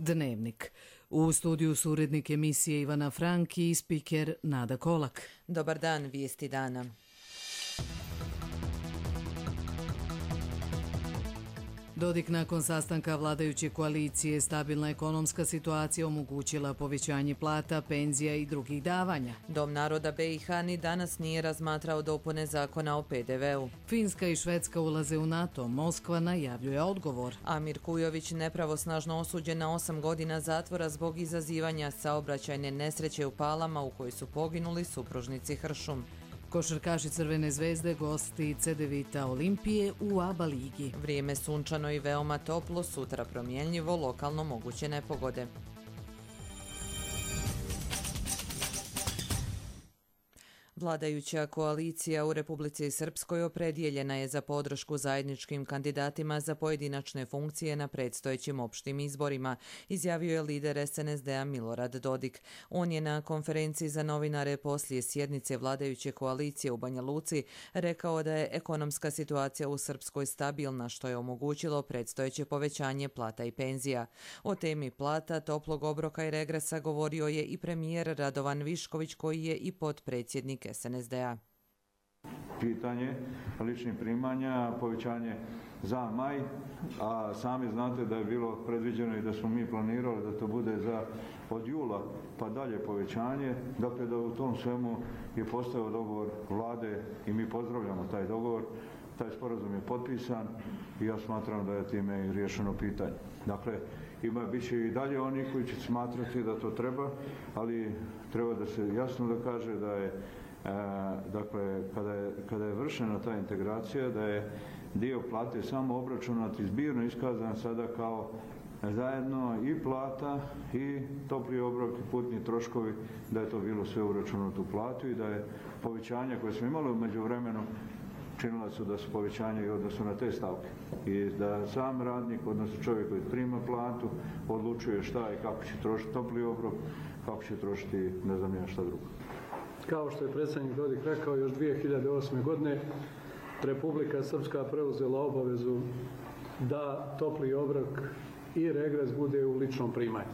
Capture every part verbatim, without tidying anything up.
Dnevnik. U studiju su urednik emisije Ivana Franki i spiker Nada Kolak. Dobar dan, vijesti dana. Dodik nakon sastanka vladajuće koalicije, stabilna ekonomska situacija omogućila povećanje plata, penzija i drugih davanja. Dom naroda be i ha ni danas nije razmatrao dopune zakona o pe de veu. Finska i Švedska ulaze u NATO, Moskva najavljuje odgovor. Amir Kujović nepravosnažno osuđen na osam godina zatvora zbog izazivanja saobraćajne nesreće u Palama u kojoj su poginuli supružnici Hršum. Košarkaši Crvene zvezde gosti Cedevita Olimpije u A B A ligi. Vrijeme sunčano i veoma toplo, sutra promjenljivo, lokalno moguće nepogode. Vladajuća koalicija u Republici Srpskoj opredijeljena je za podršku zajedničkim kandidatima za pojedinačne funkcije na predstojećim opštim izborima, izjavio je lider es en es de-a Milorad Dodik. On je na konferenciji za novinare poslije sjednice vladajuće koalicije u Banja Luci rekao da je ekonomska situacija u Srpskoj stabilna, što je omogućilo predstojeće povećanje plata i penzija. O temi plata, toplog obroka i regresa govorio je i premijer Radovan Višković, koji je i potpredsjednik es en es de-a. Pitanje ličnih primanja, povećanje za maj, a sami znate da je bilo predviđeno i da smo mi planirali da to bude za od jula pa dalje povećanje, dakle da u tom svemu je postao dogovor vlade i mi pozdravljamo taj dogovor. Taj sporazum je potpisan i ja smatram da je time i riješeno pitanje. Dakle, ima bit će i dalje oni koji će smatrati da to treba, ali treba da se jasno da kaže da je E, dakle, kada je, kada je vršena ta integracija, da je dio plate samo obračunat i zbirno iskazan sada kao zajedno i plata i topli obrok i putni troškovi, da je to bilo sve uračunato u platu i da je povećanje koje smo imali u međuvremenu činila su da su povećanje i odnosu na te stavke. I da sam radnik, odnosno čovjek koji prima platu, odlučuje šta i kako će trošiti topli obrok, kako će trošiti ne znam ja šta drugo. Kao što je predsjednik Dodik rekao, još dvije hiljade osme. godine Republika Srpska preuzela obavezu da topli obrok i regres bude u ličnom primanju.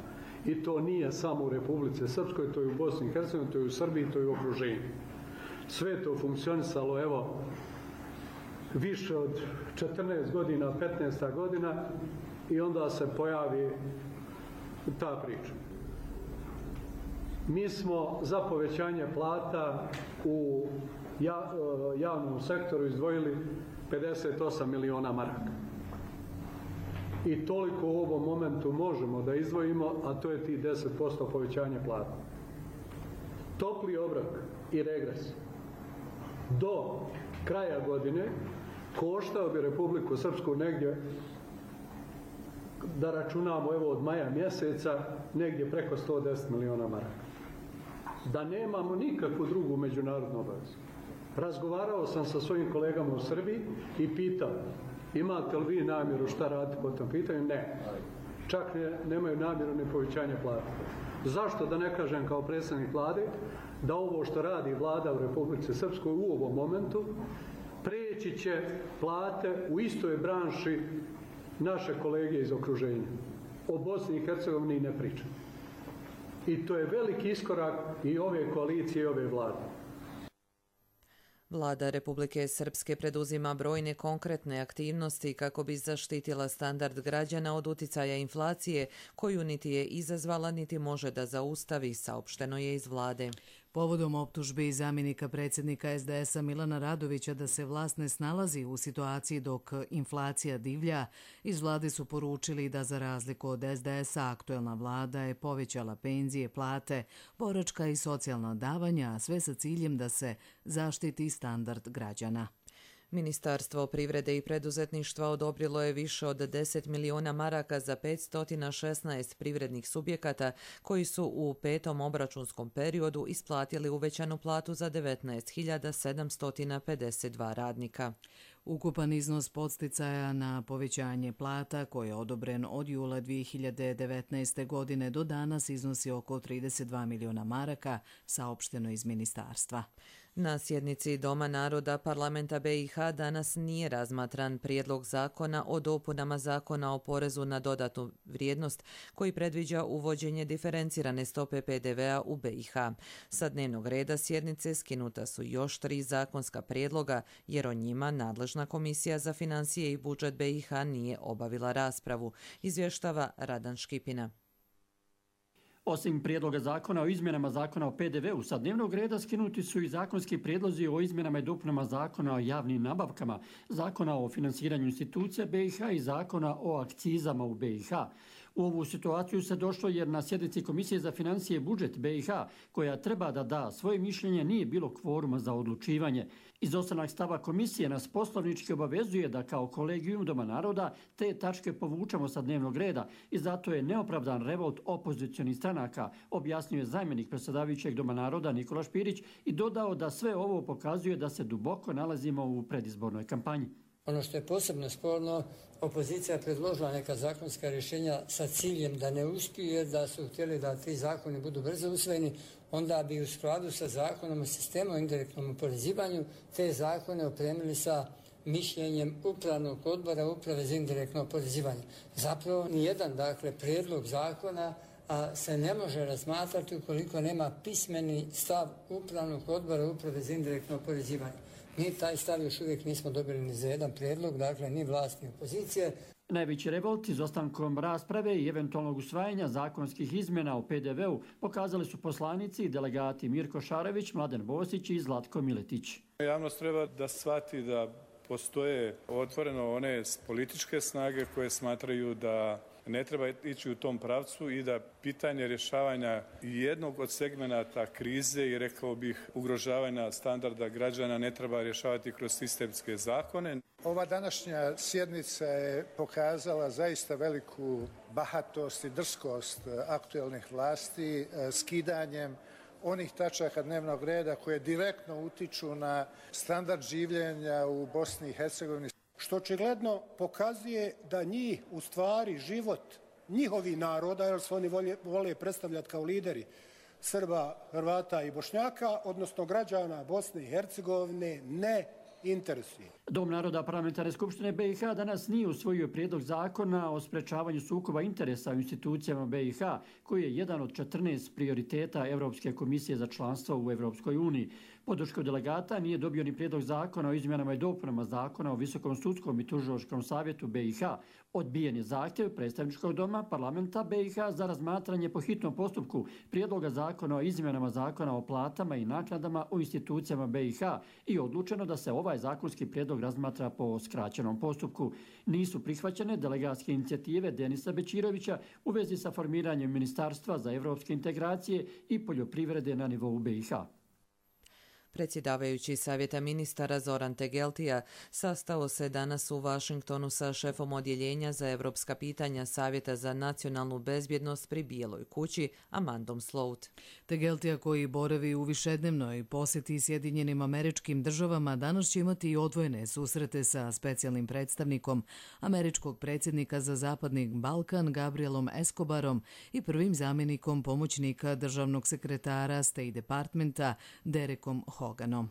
I to nije samo u Republici Srpskoj, to je u Bosni i Hercegovini, to je u Srbiji, to je u okruženju. Sve je to funkcionisalo, evo, više od četrnaest godina, petnaest godina i onda se pojavi ta priča. Mi smo za povećanje plata u javnom sektoru izdvojili pedeset osam miliona maraka. I toliko u ovom momentu možemo da izdvojimo, a to je ti deset posto povećanje plata. Topli obrok i regres do kraja godine koštao bi Republiku Srpsku negdje, da računamo evo od maja mjeseca, negdje preko sto deset miliona maraka. Da nemamo nikakvu drugu međunarodnu obavezu. Razgovarao sam sa svojim kolegama u Srbiji i pitao, imate li vi namjeru šta raditi po tom pitanju? Ne. Čak ne, nemaju namjeru ni povećanja plata. Zašto da ne kažem kao predsjednik vlade da ovo što radi vlada u Republici Srpskoj u ovom momentu preći će plate u istoj branši naše kolege iz okruženja. O Bosni i Hercegovini ne pričam. I to je veliki iskorak i ove koalicije i ove vlade. Vlada Republike Srpske preduzima brojne konkretne aktivnosti kako bi zaštitila standard građana od uticaja inflacije, koju niti je izazvala, niti može da zaustavi, saopšteno je iz vlade. Povodom optužbi zamjenika predsjednika es de es-a Milana Radovića da se vlast ne snalazi u situaciji dok inflacija divlja, iz vlade su poručili da za razliku od es de es-a aktuelna vlada je povećala penzije, plate, boračka i socijalna davanja, a sve sa ciljem da se zaštiti standard građana. Ministarstvo privrede i preduzetništva odobrilo je više od deset miliona maraka za petsto šesnaest privrednih subjekata koji su u petom obračunskom periodu isplatili uvećanu platu za devetnaest hiljada sedamsto pedeset dva radnika. Ukupan iznos podsticaja na povećanje plata koji je odobren od jula dvije hiljade devetnaeste. godine do danas iznosi oko trideset dva miliona maraka, saopšteno iz ministarstva. Na sjednici Doma naroda Parlamenta B i H danas nije razmatran prijedlog zakona o dopunama zakona o porezu na dodatnu vrijednost koji predviđa uvođenje diferencirane stope P D V-a u B i H. Sa dnevnog reda sjednice skinuta su još tri zakonska prijedloga jer o njima nadležna Komisija za financije i budžet B i H nije obavila raspravu, izvještava Radan Škipina. Osim prijedloga zakona o izmjenama zakona o P D V-u sa dnevnog reda skinuti su i zakonski prijedlozi o izmjenama i dopunama zakona o javnim nabavkama, zakona o finansiranju institucija B i H i zakona o akcizama u B i H. U ovu situaciju se došlo jer na sjednici Komisije za financije i budžet B i H, koja treba da da svoje mišljenje, nije bilo kvoruma za odlučivanje. Izostanak stava komisije nas poslovnički obavezuje da kao kolegijum Doma naroda te tačke povučemo sa dnevnog reda i zato je neopravdan revolt opozicionih stranaka, objasnio je zamjenik predsjedavajućeg Doma naroda Nikola Špirić i dodao da sve ovo pokazuje da se duboko nalazimo u predizbornoj kampanji. Ono što je posebno sporno, opozicija je predložila neka zakonska rješenja sa ciljem da ne uspije, da su htjeli da ti zakoni budu brzo usvojeni, onda bi u skladu sa zakonom o sistemu o indirektnom oporezivanju te zakone opremili sa mišljenjem upravnog odbora uprave za indirektno oporezivanje. Zapravo nijedan, dakle, prijedlog zakona a se ne može razmatrati ukoliko nema pismeni stav upravnog odbora uprave za indirektno oporezivanje. Mi taj stav još uvijek nismo dobili ni za jedan prijedlog, dakle ni vlast ni opozicije. Najveći revolt izostankom rasprave i eventualnog usvajanja zakonskih izmjena o P D V-u pokazali su poslanici i delegati Mirko Šarević, Mladen Bosić i Zlatko Miletić. Javnost treba da shvati da postoje otvoreno one političke snage koje smatraju da ne treba ići u tom pravcu i da pitanje rješavanja jednog od segmenata krize i rekao bih ugrožavanja standarda građana ne treba rješavati kroz sistemske zakone. Ova današnja sjednica je pokazala zaista veliku bahatost i drskost aktuelnih vlasti skidanjem onih tačaka dnevnog reda koje direktno utiču na standard življenja u Bosni i Hercegovini. Što očigledno pokazuje da njih, u stvari, život njihovih naroda, jer se oni vole, vole predstavljati kao lideri Srba, Hrvata i Bošnjaka, odnosno građana Bosne i Hercegovine, ne interesuje. Dom naroda Parlamentarne skupštine B i H danas nije usvojio prijedlog zakona o sprečavanju sukoba interesa u institucijama B i H, koji je jedan od četrnaest prioriteta Evropske komisije za članstvo u Evropskoj uniji. Podršku delegata nije dobio ni prijedlog zakona o izmjenama i dopunama zakona o Visokom sudskom i tužilačkom savjetu B i H. Odbijen je zahtjev predstavničkog doma parlamenta B i H za razmatranje po hitnom postupku prijedloga zakona o izmjenama zakona o platama i naknadama u institucijama B i H i odlučeno da se ovaj zakonski prijedlog razmatra po skraćenom postupku. Nisu prihvaćene delegatske inicijative Denisa Bećirovića u vezi sa formiranjem Ministarstva za evropske integracije i poljoprivrede na nivou B i H. Predsjedavajući Savjeta ministara Zoran Tegeltija sastao se danas u Vašingtonu sa šefom odjeljenja za evropska pitanja Savjeta za nacionalnu bezbjednost pri Bijeloj kući, Amandom Slout. Tegeltija, koji boravi u višednevnoj posjeti Sjedinjenim Američkim Državama, danas će imati i odvojene susrete sa specijalnim predstavnikom američkog predsjednika za Zapadni Balkan Gabrielom Escobarom i prvim zamjenikom pomoćnika državnog sekretara State Departmenta Derekom Hoganom.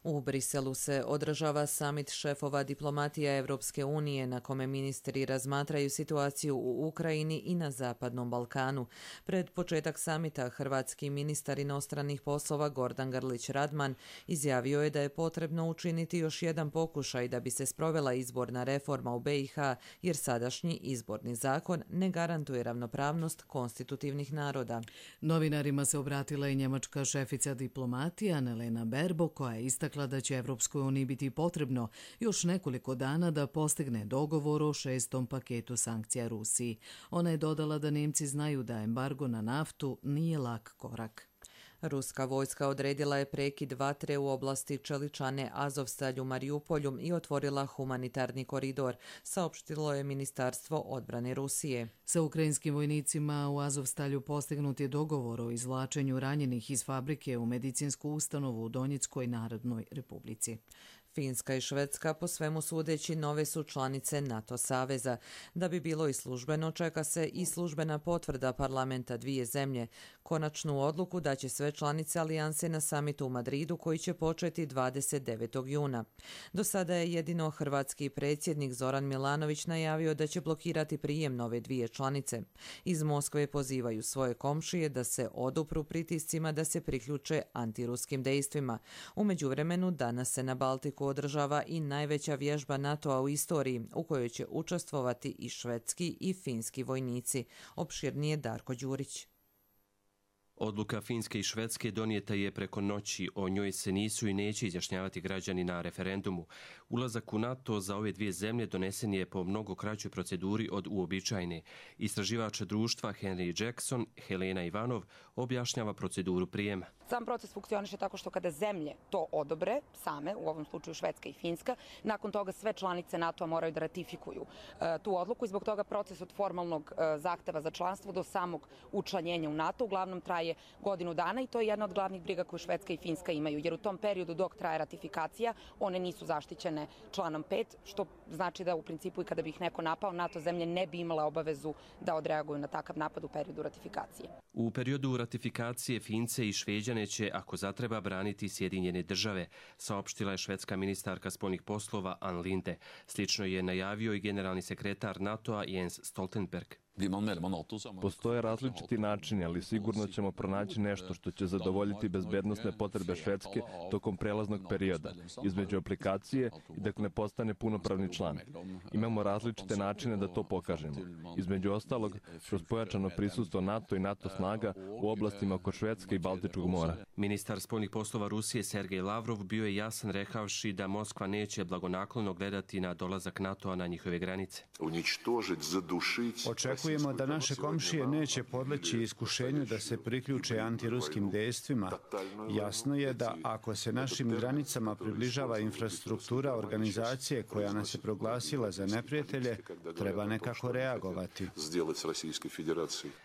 U Briselu se održava samit šefova diplomatija Evropske unije na kome ministri razmatraju situaciju u Ukrajini i na Zapadnom Balkanu. Pred početak samita hrvatski ministar inostranih poslova Gordan Grlić Radman izjavio je da je potrebno učiniti još jedan pokušaj da bi se sprovela izborna reforma u B i H jer sadašnji izborni zakon ne garantuje ravnopravnost konstitutivnih naroda. Novinarima se obratila i njemačka šefica diplomatije Annalena Baerbock, koja je istakla da će Evropskoj uniji biti potrebno još nekoliko dana da postigne dogovor o šestom paketu sankcija Rusiji. Ona je dodala da Nemci znaju da embargo na naftu nije lak korak. Ruska vojska odredila je prekid vatre u oblasti Čeličane, Azovstalj u Marijupolju i otvorila humanitarni koridor, saopštilo je Ministarstvo odbrane Rusije. Sa ukrajinskim vojnicima u Azovstalju postignut je dogovor o izvlačenju ranjenih iz fabrike u medicinsku ustanovu u Donjeckoj Narodnoj Republici. Finska i Švedska po svemu sudeći nove su članice NATO saveza. Da bi bilo i službeno, čeka se i službena potvrda parlamenta dvije zemlje. Konačnu odluku daće sve članice alijanse na samitu u Madridu koji će početi dvadeset devetog juna. Do sada je jedino hrvatski predsjednik Zoran Milanović najavio da će blokirati prijem nove dvije članice. Iz Moskve pozivaju svoje komšije da se odupru pritiscima da se priključe antiruskim dejstvima. U međuvremenu danas se na Baltiku održava i najveća vježba NATO-a u istoriji, u kojoj će učestvovati i švedski i finski vojnici. Opširnije Darko Đurić. Odluka Finske i Švedske donijeta je preko noći, o njoj se nisu i neće izjašnjavati građani na referendumu. Ulazak u NATO za ove dvije zemlje donesen je po mnogo kraćoj proceduri od uobičajene. Istraživač društva Henry Jackson, Helena Ivanov, objašnjava proceduru prijema. Sam proces funkcioniše tako što kada zemlje to odobre, same, u ovom slučaju Švedska i Finska, nakon toga sve članice NATO-a moraju da ratifikuju e, tu odluku i zbog toga proces od formalnog e, zahteva za članstvo do samog učlanjenja u NATO uglavnom traje godinu dana i to je jedna od glavnih briga koju Švedska i Finska imaju, jer u tom periodu dok traje ratifikacija, one nisu zaštićene članom pet, što znači da u principu i kada bi ih neko napao, NATO zemlje ne bi imala obavezu da odreaguju na takav napad u periodu ratifikacije. U periodu ratifikacije Fince i Šveđane će, ako zatreba, braniti Sjedinjene države, saopštila je švedska ministarka spoljnih poslova Ann Linde. Slično je najavio i generalni sekretar NATO-a Jens Stoltenberg. Postoje različiti načini, ali sigurno ćemo pronaći nešto što će zadovoljiti bezbednosne potrebe Švedske tokom prelaznog perioda, između aplikacije i dok ne postane punopravni član. Imamo različite načine da to pokažemo. Između ostalog, kroz pojačano prisustvo NATO i NATO snaga u oblastima oko Švedske i Baltičkog mora. Ministar spoljnih poslova Rusije Sergej Lavrov bio je jasan rekavši da Moskva neće blagonaklono gledati na dolazak NATO-a na njihove granice. Očekujemo da naše komšije neće podleći iskušenju da se priključe antiruskim dejstvima. Jasno je da ako se našim granicama približava infrastruktura organizacije koja nas je proglasila za neprijatelje, treba nekako reagovati.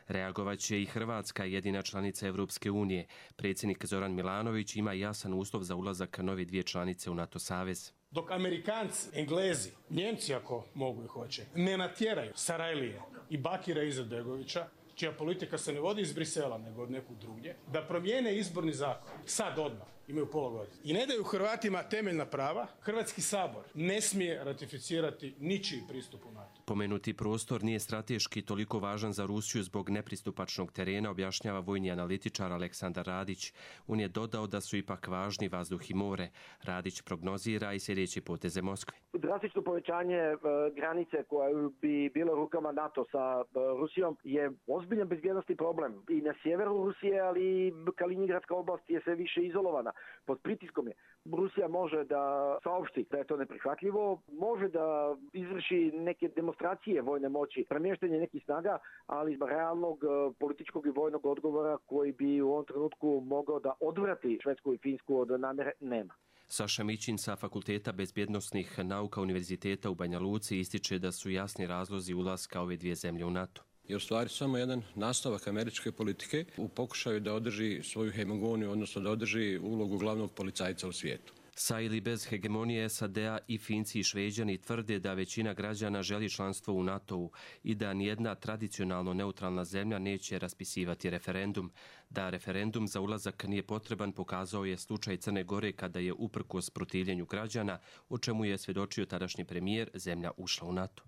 Reagovat će i Hrvatska, jedina članica Evropske unije. Predsjednik Zoran Milanović ima jasan uslov za ulazak nove dvije članice u NATO savez. Dok Amerikanci, Englezi, Njemci ako mogu i hoće, ne natjeraju Sarajlije i Bakira Izetbegovića, čija politika se ne vodi iz Brisela nego od nekog drugdje, da promijene izborni zakon, sad odmah, imaju pola godine. I ne daju Hrvatima temeljna prava, Hrvatski sabor ne smije ratificirati ničiji pristup u NATO. Pomenuti prostor nije strateški toliko važan za Rusiju zbog nepristupačnog terena, objašnjava vojni analitičar Aleksandar Radić. On je dodao da su ipak važni vazduh i more. Radić prognozira i sljedeće poteze Moskve. Drastično povećanje e, granice koja bi bilo rukama NATO sa e, Rusijom je ozbiljan bezbjednosni problem. I na sjeveru Rusije, ali Kaliningradska oblast je sve više izolovana. Pod pritiskom je. Rusija može da saopšti da je to neprihvatljivo, može da izvrši neke demonstracije vojne moći, premještanje nekih snaga, ali iz realnog političkog i vojnog odgovora koji bi u ovom trenutku mogao da odvrati Švedsku i Finsku od namjere nema. Saša Mićin sa Fakulteta bezbjednosnih nauka Univerziteta u Banja Luci ističe da su jasni razlozi ulaska ove dvije zemlje u NATO. Je u stvari samo jedan nastavak američke politike u pokušaju da održi svoju hegemoniju, odnosno da održi ulogu glavnog policajca u svijetu. Sa ili bez hegemonije S A D-a i Finci i Šveđani tvrde da većina građana želi članstvo u NATO-u i da nijedna tradicionalno neutralna zemlja neće raspisivati referendum. Da referendum za ulazak nije potreban pokazao je slučaj Crne Gore kada je uprkos protivljenju građana, o čemu je svjedočio tadašnji premijer, zemlja ušla u NATO.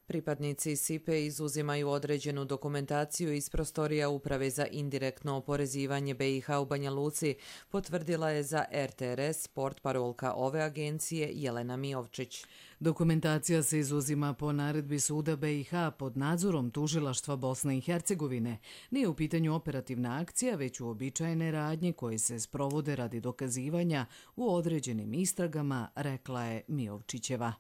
Pripadnici S I P E izuzimaju određenu dokumentaciju iz prostorija Uprave za indirektno oporezivanje B i H u Banja Luci, potvrdila je za R T R S portparolka ove agencije Jelena Miovčić. Dokumentacija se izuzima po naredbi suda B i H pod nadzorom tužilaštva Bosne i Hercegovine. Nije u pitanju operativna akcija, već uobičajene radnje koje se sprovode radi dokazivanja u određenim istragama, rekla je Miovčićeva.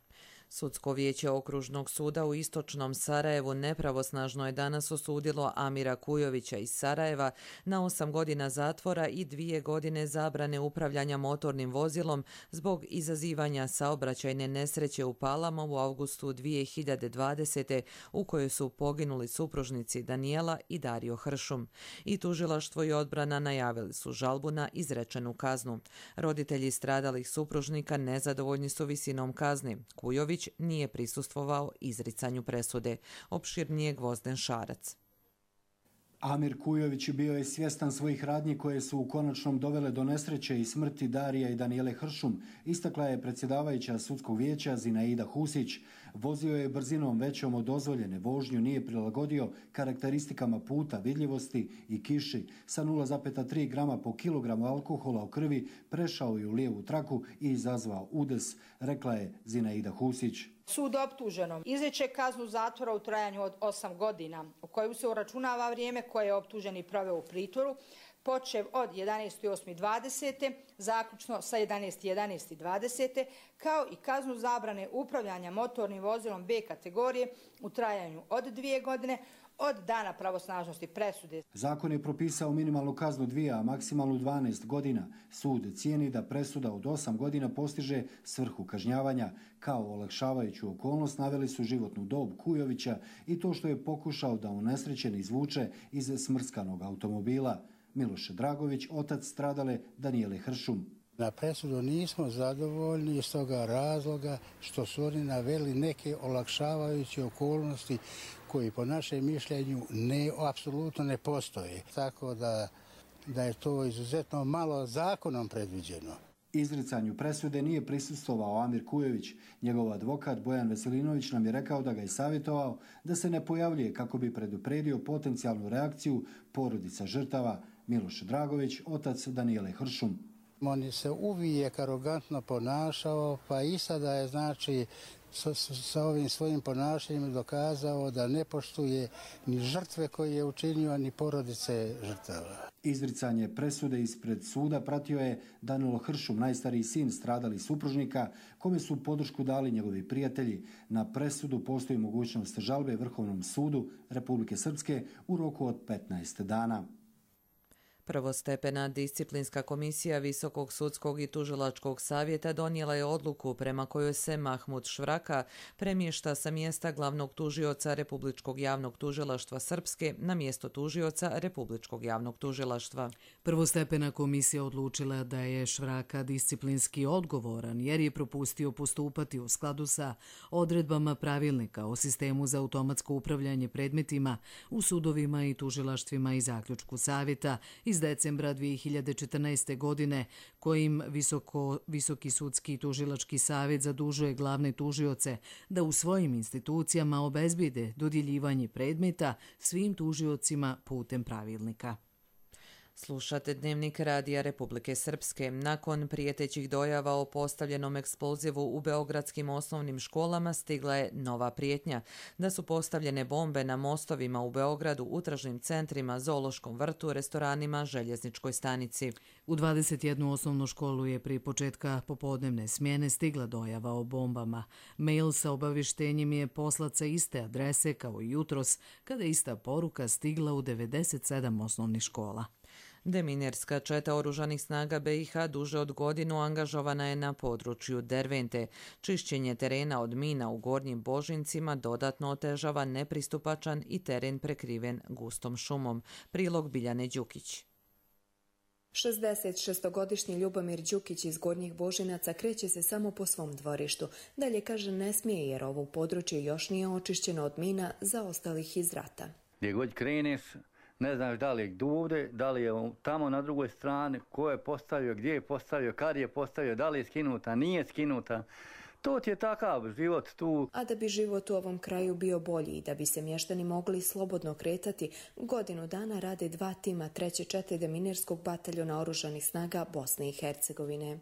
Sudsko vijeće okružnog suda u istočnom Sarajevu nepravosnažno je danas osudilo Amira Kujovića iz Sarajeva na osam godina zatvora i dvije godine zabrane upravljanja motornim vozilom zbog izazivanja saobraćajne nesreće u Palama u avgustu dvije hiljade dvadesete. u kojoj su poginuli supružnici Danijela i Dario Hršum. I tužilaštvo i odbrana najavili su žalbu na izrečenu kaznu. Roditelji stradalih supružnika nezadovoljni su visinom kazni. Kujović nije prisustvovao izricanju presude. Opširnije Gvozden Šarac. Amir Kujović bio je svjestan svojih radnji koje su u konačnom dovele do nesreće i smrti Darija i Danijele Hršum, istakla je predsjedavajuća sudskog vijeća Zinaida Husić. Vozio je brzinom većom od dozvoljene, vožnju nije prilagodio karakteristikama puta, vidljivosti i kiši. Sa nula zarez tri grama po kilogramu alkohola u krvi prešao je u lijevu traku i izazvao udes, rekla je Zinaida Husić. Sud optuženom izriče kaznu zatvora u trajanju od osam godina, u koju se uračunava vrijeme koje je optuženi proveo u pritvoru, počev od jedanaestog osmog dvadesete. zaključno sa jedanaestog jedanaestog dvadesete. kao i kaznu zabrane upravljanja motornim vozilom B kategorije u trajanju od dvije godine od dana pravosnažnosti presude. Zakon je propisao minimalnu kaznu dvije, a maksimalnu dvanaest godina. Sud cijeni da presuda od osam godina postiže svrhu kažnjavanja. Kao olakšavajuću okolnost naveli su životnu dob Kujovića i to što je pokušao da unesrećen izvuče iz smrskanog automobila. Miloš Dragović, otac stradale Danijele Hršum. Na presudu nismo zadovoljni iz toga razloga što su oni naveli neke olakšavajuće okolnosti koji po našem mišljenju ne, apsolutno ne postoje. Tako da, da je to izuzetno malo zakonom predviđeno. Izricanju presude nije prisustvovao Amir Kujović. Njegov advokat Bojan Veselinović nam je rekao da ga je savjetovao da se ne pojavljuje kako bi predupredio potencijalnu reakciju porodica žrtava. Miloš Dragović, otac Danijele Hršum. On se uvijek arogantno ponašao, pa i sada je znači sa, sa ovim svojim ponašanjem dokazao da ne poštuje ni žrtve koje je učinio, ni porodice žrtava. Izricanje presude ispred suda pratio je Danilo Hršum, najstariji sin stradali supružnika, kome su podršku dali njegovi prijatelji. Na presudu postoji mogućnost žalbe Vrhovnom sudu Republike Srpske u roku od petnaest dana. Prvostepena disciplinska komisija Visokog sudskog i tužilačkog savjeta donijela je odluku prema kojoj se Mahmud Švraka premješta sa mjesta glavnog tužioca Republičkog javnog tužilaštva Srpske na mjesto tužioca Republičkog javnog tužilaštva. Prvostepena komisija odlučila da je Švraka disciplinski odgovoran jer je propustio postupati u skladu sa odredbama pravilnika o sistemu za automatsko upravljanje predmetima u sudovima i tužilaštvima i zaključku savjeta iz decembra dvije hiljade četrnaeste. godine, kojim Visoko, Visoki sudski i tužilački savjet zadužuje glavne tužioce da u svojim institucijama obezbide dodjeljivanje predmeta svim tužiocima putem pravilnika. Slušate Dnevnik Radija Republike Srpske. Nakon prijetećih dojava o postavljenom eksplozivu u beogradskim osnovnim školama stigla je nova prijetnja da su postavljene bombe na mostovima u Beogradu, u tržnim centrima, zoološkom vrtu, restoranima, željezničkoj stanici. U dvadeset jednu osnovnu školu je prije početka popodnevne smjene stigla dojava o bombama. Mail sa obavještenjem je poslat sa iste adrese kao i jutros, kada je ista poruka stigla u devedeset sedam osnovnih škola. Deminerska četa oružanih snaga B i H duže od godinu angažovana je na području Dervente. Čišćenje terena od mina u Gornjim Božincima dodatno otežava nepristupačan i teren prekriven gustom šumom. Prilog Biljane Đukić. šezdeset šestogodišnji Ljubomir Đukić iz Gornjih Božinaca kreće se samo po svom dvorištu. Dalje kaže ne smije jer ovo područje još nije očišćeno od mina zaostalih iz rata. Gdje god kreneš, ne znaš da li je ovdje, da li je tamo na drugoj strani, ko je postavio, gdje je postavio, kad je postavio, da li je skinuta, nije skinuta. To ti je takav život tu. A da bi život u ovom kraju bio bolji i da bi se mještani mogli slobodno kretati, godinu dana rade dva tima treće čete Deminerskog bataljona oružanih snaga Bosne i Hercegovine.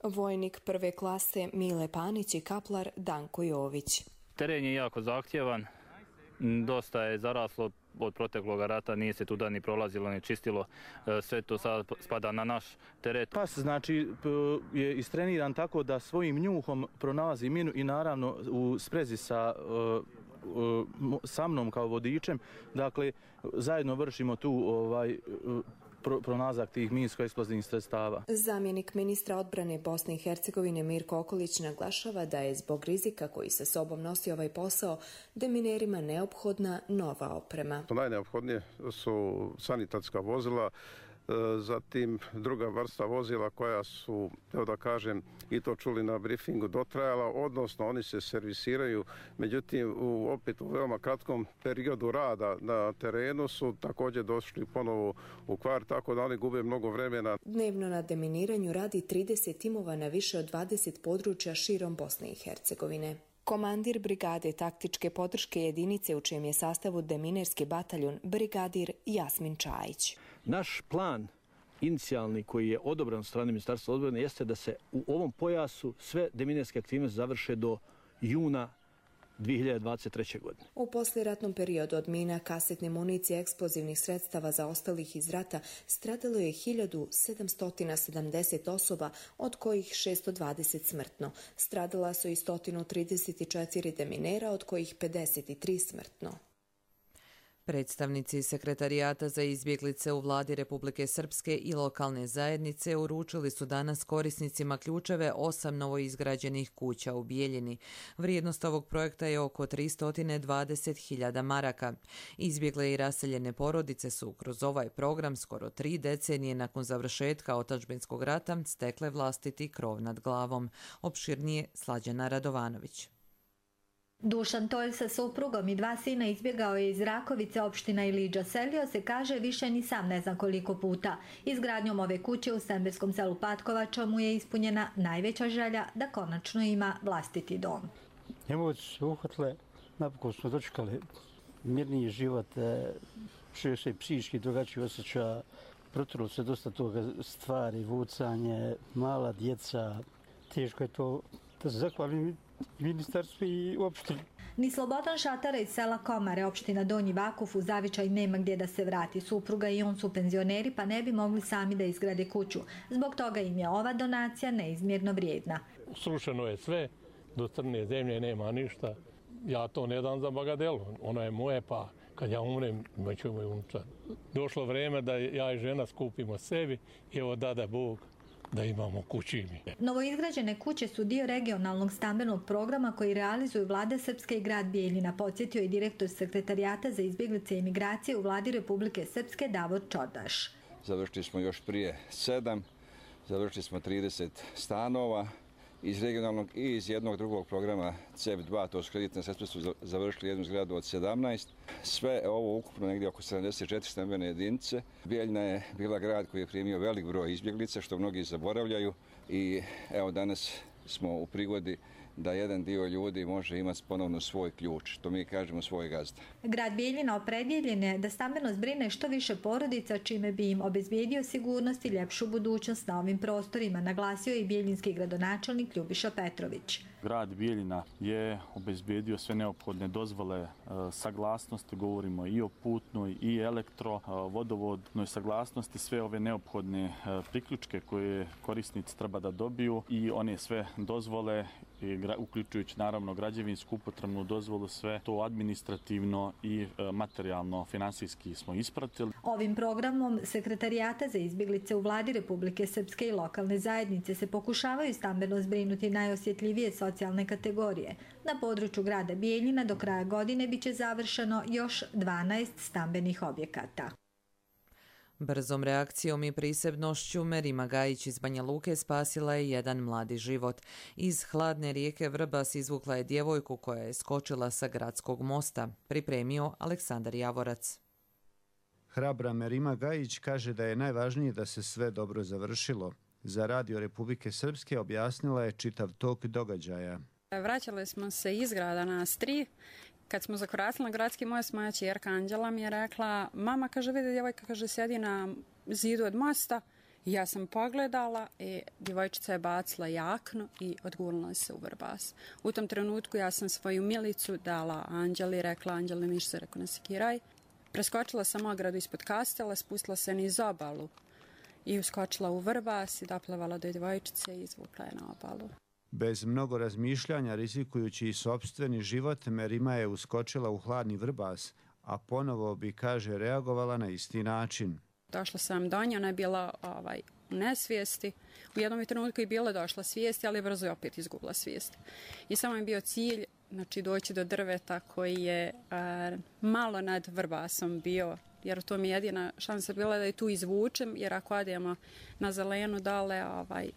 Vojnik prve klase Mile Panić i kaplar Danko Jović. Teren je jako zahtjevan, dosta je zaraslo od proteklog rata, nije se tuda ni prolazilo, ni čistilo, sve to sad spada na naš teret. Pas znači je istreniran tako da svojim njuhom pronalazi minu i naravno u sprezi sa sa mnom kao vodičem, dakle zajedno vršimo tu ovaj pronalazak tih minsko-eksplozivnih sredstava. Zamjenik ministra odbrane Bosne i Hercegovine Mirko Okolić naglašava da je zbog rizika koji sa sobom nosi ovaj posao deminerima neophodna nova oprema. Najneophodnije su sanitetska vozila, zatim druga vrsta vozila koja su, evo da kažem, i to čuli na briefingu, dotrajala, odnosno oni se servisiraju, međutim u, opet u veoma kratkom periodu rada na terenu su također došli ponovo u kvar, tako da oni gube mnogo vremena. Dnevno na deminiranju radi trideset timova na više od dvadeset područja širom Bosne i Hercegovine. Komandir brigade taktičke podrške jedinice u čijem je sastavu deminerski bataljon brigadir Jasmin Čajić. Naš plan inicijalni koji je odobran od strane Ministarstva odbrane jeste da se u ovom pojasu sve deminerske aktivnosti završe do juna dvije hiljade dvadeset treće. godine. U poslijeratnom periodu od mina, kasetne municije, eksplozivnih sredstava zaostalih iz rata stradalo je hiljadu sedamsto sedamdeset osoba, od kojih šesto dvadeset smrtno. Stradala su i sto trideset četiri deminera, od kojih pedeset tri smrtno. Predstavnici Sekretarijata za izbjeglice u vladi Republike Srpske i lokalne zajednice uručili su danas korisnicima ključeve osam novoizgrađenih kuća u Bijeljini. Vrijednost ovog projekta je oko tristo dvadeset hiljada maraka. Izbjegle i raseljene porodice su kroz ovaj program skoro tri decenije nakon završetka otadžbinskog rata stekle vlastiti krov nad glavom. Opširnije Slađana Radovanović. Dušan Tolj sa suprugom i dva sina izbjegao je iz Rakovice, opština Iliđa. Selio se, kaže, više ni sam ne zna koliko puta. Izgradnjom ove kuće u semberskom selu Patkovača mu je ispunjena najveća želja da konačno ima vlastiti dom. Emocije su uhvatile, napokon smo dočekali mirniji život, čovjek se psihički drugačiji osjeća, protrlo se dosta toga stvari, vucanje, mala djeca, teško je to da se zahvalim ministarstvu i opštini. Ni Slobodan Šatara iz sela Komare, opština Donji Vakuf, u zavičaj nema gdje da se vrati. Supruga i on su penzioneri, pa ne bi mogli sami da izgrade kuću. Zbog toga im je ova donacija neizmjerno vrijedna. Srušeno je sve, do crne zemlje nema ništa. Ja to ne dam za bagadelu, ono je moje, pa kad ja umrem, imaću moj unučad. Došlo vrijeme da ja i žena skupimo sebi i evo dada Bog da imamo kući. Novoizgrađene kuće su dio regionalnog stambenog programa koji realizuju vlada Srpske i grad Bijeljina, podsjetio je direktor Sekretarijata za izbjeglice i migracije u vladi Republike Srpske Davor Čordaš. Završili smo još prije sedam, završili smo trideset stanova iz regionalnog i iz jednog drugog programa C E F dva, to su kreditne sredstva, su završili jednu zgradu od sedamnaest. Sve ovo ukupno negdje oko sedamdeset četiri stambene jedinice. Bijeljina je bila grad koji je primio velik broj izbjeglica, što mnogi zaboravljaju, i evo danas smo u prigodi da jedan dio ljudi može imati ponovno svoj ključ, to mi kažemo svoj gazda. Grad Bijeljina opredjeljen je da stambeno zbrine što više porodica, čime bi im obezbijedio sigurnost i ljepšu budućnost na ovim prostorima, naglasio je i bijeljinski gradonačelnik Ljubiša Petrović. Grad Bijeljina je obezbijedio sve neophodne dozvole, saglasnosti, govorimo i o putnoj i elektro, vodovodnoj saglasnosti, sve ove neophodne priključke koje korisnici treba da dobiju i one sve dozvole, uključujući naravno građevinsku upotrebnu dozvolu, sve to administrativno i materijalno, finansijski smo ispratili. Ovim programom Sekretarijata za izbjeglice u vladi Republike Srpske i lokalne zajednice se pokušavaju stambeno zbrinuti najosjetljivije socijalne kategorije. Na području grada Bijeljina do kraja godine biće završeno još dvanaest stambenih objekata. Brzom reakcijom i prisebnošću Merima Gajić iz Banja Luke spasila je jedan mladi život. Iz hladne rijeke Vrbas izvukla je djevojku koja je skočila sa gradskog mosta. Pripremio Aleksandar Javorac. Hrabra Merima Gajić kaže da je najvažnije da se sve dobro završilo. Za Radio Republike Srpske objasnila je čitav tok događaja. Vraćali smo se iz grada nas tri. Kad smo zakoračili na gradski most, moja ćerka Anđela mi je rekla, mama, kaže, vidi, djevojka, kaže, sjedi na zidu od mosta Ja sam pogledala i djevojčica je bacila jaknu i odgurnula se u Vrbas. U tom trenutku ja sam svoju milicu dala Anđeli, rekla Anđeli ništa se, rekao ne sekiraj. Preskočila sam ogradu ispod kastela, spustila se niz obalu i uskočila u Vrbas i doplevala do djevojčice i izvukla je na obalu. Bez mnogo razmišljanja, rizikujući i sopstveni život, Merima je uskočila u hladni Vrbas, a ponovo bi, kaže, reagovala na isti način. Došla sam do nje, ona je bila ovaj, u nesvijesti. U jednom trenutku je bila došla svijesti, ali brzo je opet izgubila svijest. I samo je bio cilj, znači, doći do drveta koji je a, malo nad Vrbasom bio, jer to mi je jedina šansa bila da je tu izvučem, jer ako odemo na zelenu dole, ovaj,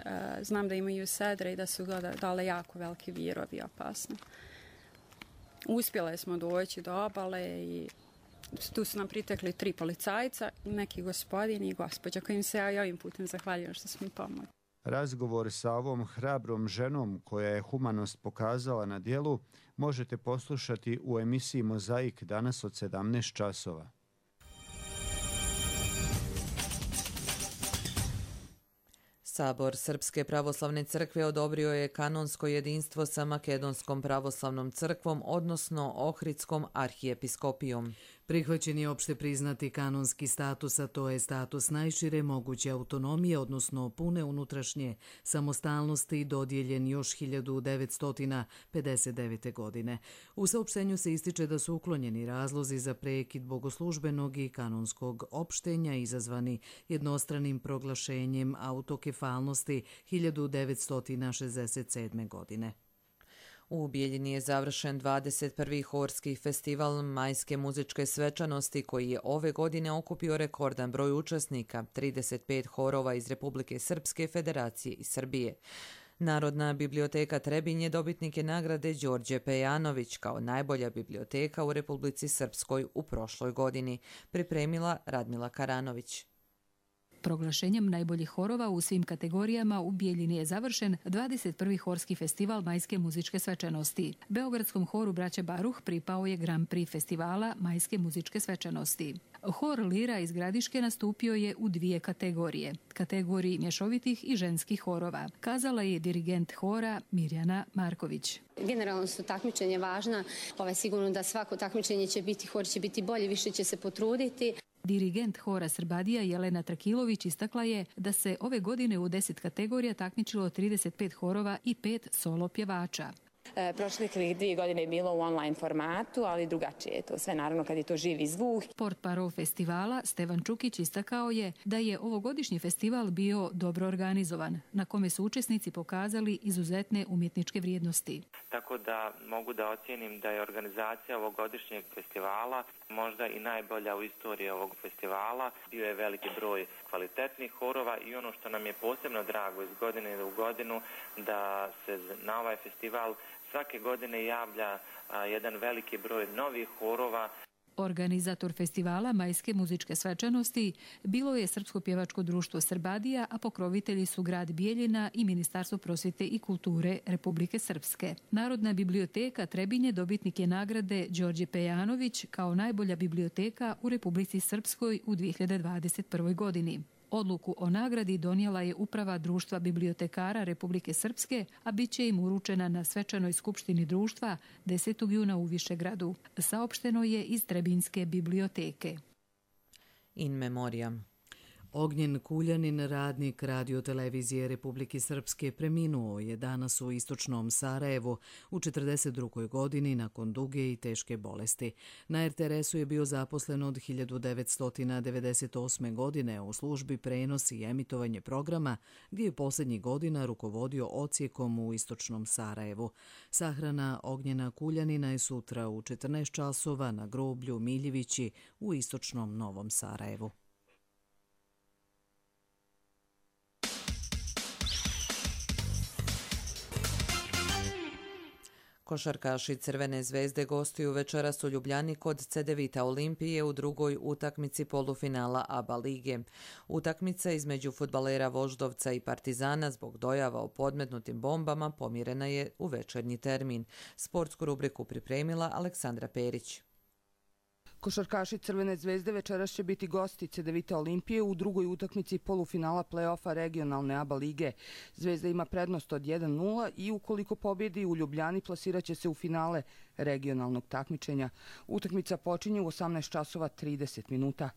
a, znam da imaju sedre i da su dole jako veliki virovi opasni. Uspjele smo doći do obale i tu su nam pritekli tri policajca, neki gospodin i gospođa kojim se ja ovim putem zahvaljujem što su mi pomogli. Razgovor sa ovom hrabrom ženom koja je humanost pokazala na djelu možete poslušati u emisiji Mozaik danas od sedamnaest časova. Sabor Srpske pravoslavne crkve odobrio je kanonsko jedinstvo sa Makedonskom pravoslavnom crkvom, odnosno Ohridskom arhijepiskopijom. Prihvaćen je opšte priznati kanonski status, a to je status najšire moguće autonomije, odnosno pune unutrašnje samostalnosti, dodijeljen još hiljadu devetsto pedeset devete. godine. U saopštenju se ističe da su uklonjeni razlozi za prekid bogoslužbenog i kanonskog opštenja izazvani jednostranim proglašenjem autokefalnosti hiljadu devetsto šezdeset sedme. godine. U Bijeljini je završen dvadeset prvi horski festival majske muzičke svečanosti koji je ove godine okupio rekordan broj učesnika, trideset pet horova iz Republike Srpske, Federacije i Srbije. Narodna biblioteka Trebinje je dobitnike nagrade Đorđe Pejanović kao najbolja biblioteka u Republici Srpskoj u prošloj godini, pripremila Radmila Karanović. Proglašenjem najboljih horova u svim kategorijama u Bijeljini je završen dvadeset prvi horski festival majske muzičke svečanosti. Beogradskom horu Braće Baruh pripao je Grand Prix festivala majske muzičke svečanosti. Hor Lira iz Gradiške nastupio je u dvije kategorije, kategoriji mješovitih i ženskih horova, kazala je dirigent hora Mirjana Marković. Generalno su takmičenje važna, ovaj, sigurno da svako takmičenje će biti, hor će biti bolji, više će se potruditi. Dirigent hora Srbadija Jelena Trakilović istakla je da se ove godine u deset kategorija takmičilo trideset pet horova i pet solo pjevača. E, prošlih dvije godine je bilo u online formatu, ali drugačije je to sve, naravno kad je to živi zvuk. Portparol festivala Stevan Čukić istakao je da je ovogodišnji festival bio dobro organizovan, na kome su učesnici pokazali izuzetne umjetničke vrijednosti. Tako da mogu da ocijenim da je organizacija ovogodišnjeg festivala možda i najbolja u istoriji ovog festivala. Bio je veliki broj kvalitetnih horova i ono što nam je posebno drago iz godine u godinu da se na ovaj festival svake godine javlja a, jedan veliki broj novih horova. Organizator festivala majske muzičke svečanosti bilo je Srpsko pjevačko društvo Srbadija, a pokrovitelji su grad Bijeljina i Ministarstvo prosvjete i kulture Republike Srpske. Narodna biblioteka Trebinje dobitnik je nagrade Đorđe Pejanović kao najbolja biblioteka u Republici Srpskoj u dvije hiljade dvadeset prvoj. godini. Odluku o nagradi donijela je uprava Društva bibliotekara Republike Srpske, a bit će im uručena na svečanoj skupštini društva desetog juna u Višegradu. Saopšteno je iz Trebinjske biblioteke. In memoriam. Ognjen Kuljanin, radnik radiotelevizije Republike Srpske, preminuo je danas u istočnom Sarajevu u četrdeset drugoj. godini nakon duge i teške bolesti. Na er te er esu je bio zaposlen od hiljadu devetsto devedeset osme. godine u službi prenos i emitovanje programa, gdje je posljednjih godina rukovodio odsjekom u istočnom Sarajevu. Sahrana Ognjena Kuljanina je sutra u četrnaest časova na groblju Miljevići u istočnom Novom Sarajevu. Košarkaši Crvene zvezde gostuju večeras u Ljubljani kod Cedevita Olimpije u drugoj utakmici polufinala A B A lige. Utakmica između fudbalera Voždovca i Partizana zbog dojava o podmetnutim bombama pomirena je u večernji termin. Sportsku rubriku pripremila Aleksandra Perić. Košarkaši Crvene zvezde večeras će biti gosti Cedevita Olimpije u drugoj utakmici polufinala play-offa regionalne A B A lige. Zvezda ima prednost od jedan nula i ukoliko pobjedi u Ljubljani plasiraće se u finale regionalnog takmičenja. Utakmica počinje u osamnaest časova trideset minuta.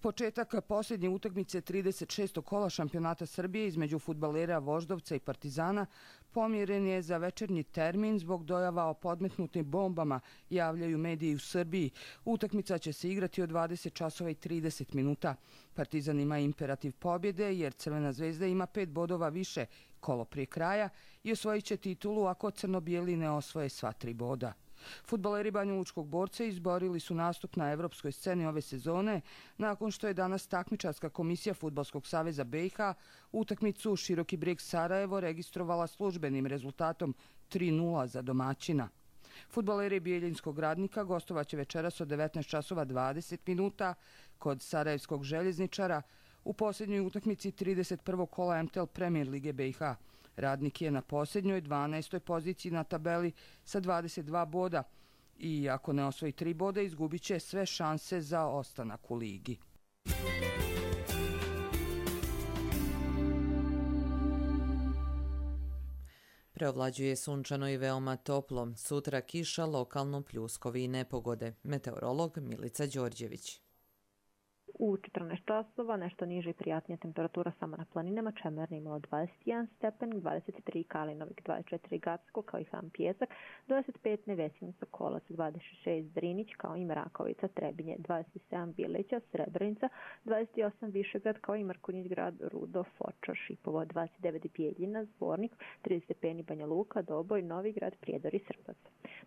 Početak posljednje utakmice trideset šestog kola šampionata Srbije između fudbalera Voždovca i Partizana pomjeren je za večernji termin zbog dojava o podmetnutim bombama, javljaju mediji u Srbiji. Utakmica će se igrati od dvadeset časova i trideset minuta. Partizan ima imperativ pobjede jer Crvena zvezda ima pet bodova više kolo prije kraja i osvojit će titulu ako crno-bijeli ne osvoje sva tri boda. Fudbaleri Banjalučkog Borca izborili su nastup na evropskoj sceni ove sezone nakon što je danas takmičarska komisija Fudbalskog saveza B i H utakmicu Široki Brijeg Sarajevo registrovala službenim rezultatom tri nula za domaćina. Fudbaleri Bijeljinskog Radnika gostovaće večeras od devetnaest časova dvadeset minuta kod Sarajevskog željezničara u posljednjoj utakmici trideset prvog kola M T L Premier Lige B i H. Radnik je na posljednjoj dvanaestoj poziciji na tabeli sa dvadeset dva boda i ako ne osvoji tri boda izgubit će sve šanse za ostanak u ligi. Preovlađuje sunčano i veoma toplo. Sutra kiša, lokalno pljuskovi i nepogode. Meteorolog Milica Đorđević. U četrnaest časova nešto niže i prijatnija temperatura samo na planinama. Čemerni imalo dvadeset jedan stepen, dvadeset tri Kalinovik, dvadeset četiri Gacko kao i Ham Pjesak, dvadeset pet Nevesin Sokolac, dvadeset šest Drinić kao i Mrakovica, Trebinje, dvadeset sedam Bileća, Srebrenica, dvadeset osam Višegrad kao i Mrkonjić Grad, Rudo, Fočar, Šipovo, dvadeset devet Bijeljina, Zvornik, trideset stepeni Banja Luka, Doboj, Novi Grad, Prijedor i Srbac.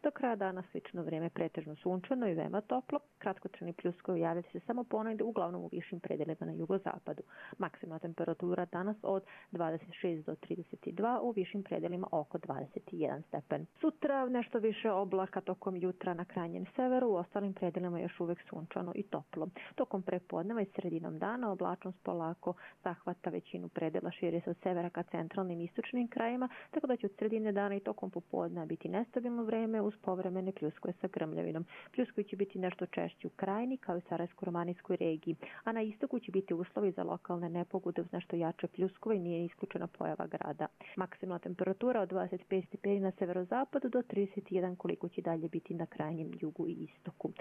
Do kraja dana slično vrijeme pretežno sunčano i veoma toplo, kratkotrajni pljuskovi javljaju se samo ponegde uglavnom u višim predelima na jugozapadu. Maksimalna temperatura danas od dvadeset šest do trideset dva, u višim predelima oko dvadeset jedan stepen. Sutra nešto više oblaka tokom jutra na krajnjem severu, u ostalim predelima još uvek sunčano i toplo. Tokom prepodneva i sredinom dana oblačnost polako zahvata većinu predela, širi se od severa ka centralnim i istočnim krajima, tako da će od sredine dana i tokom popodneva biti nestabilno vreme uz povremene pljuskove sa grmljavinom. Pljuskovi će biti nešto češći u krajini kao i Sarajevsko-romanijskoj regiji, a na istoku će biti uslovi za lokalne nepogode uz nešto jače pljuskove i nije isključena pojava grada. Maksimalna temperatura od dvadeset pet stepeni na severozapadu do trideset jedan koliko će dalje biti na krajnjem jugu i istoku.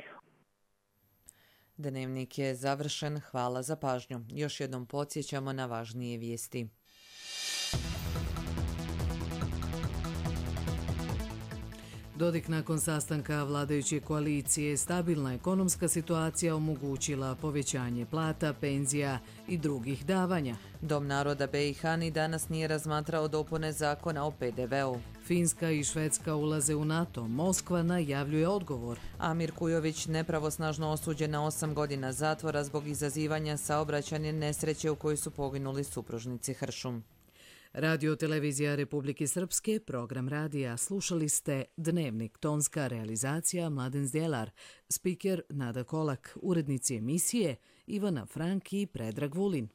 Dnevnik je završen. Hvala za pažnju. Još jednom podsjećamo na važnije vijesti. Dodik nakon sastanka vladajuće koalicije, stabilna ekonomska situacija omogućila povećanje plata, penzija i drugih davanja. Dom naroda B i H ni danas nije razmatrao dopune zakona o P D V-u. Finska i Švedska ulaze u NATO. Moskva najavljuje odgovor. Amir Kujović nepravosnažno osuđen na osam godina zatvora zbog izazivanja saobraćajne nesreće u kojoj su poginuli supružnici Hršum. Radio televizija Republike Srpske, program radija. Slušali ste Dnevnik, tonska realizacija Mladen Zdjelar, spiker Nada Kolak, urednici emisije Ivana Frank i Predrag Vulin.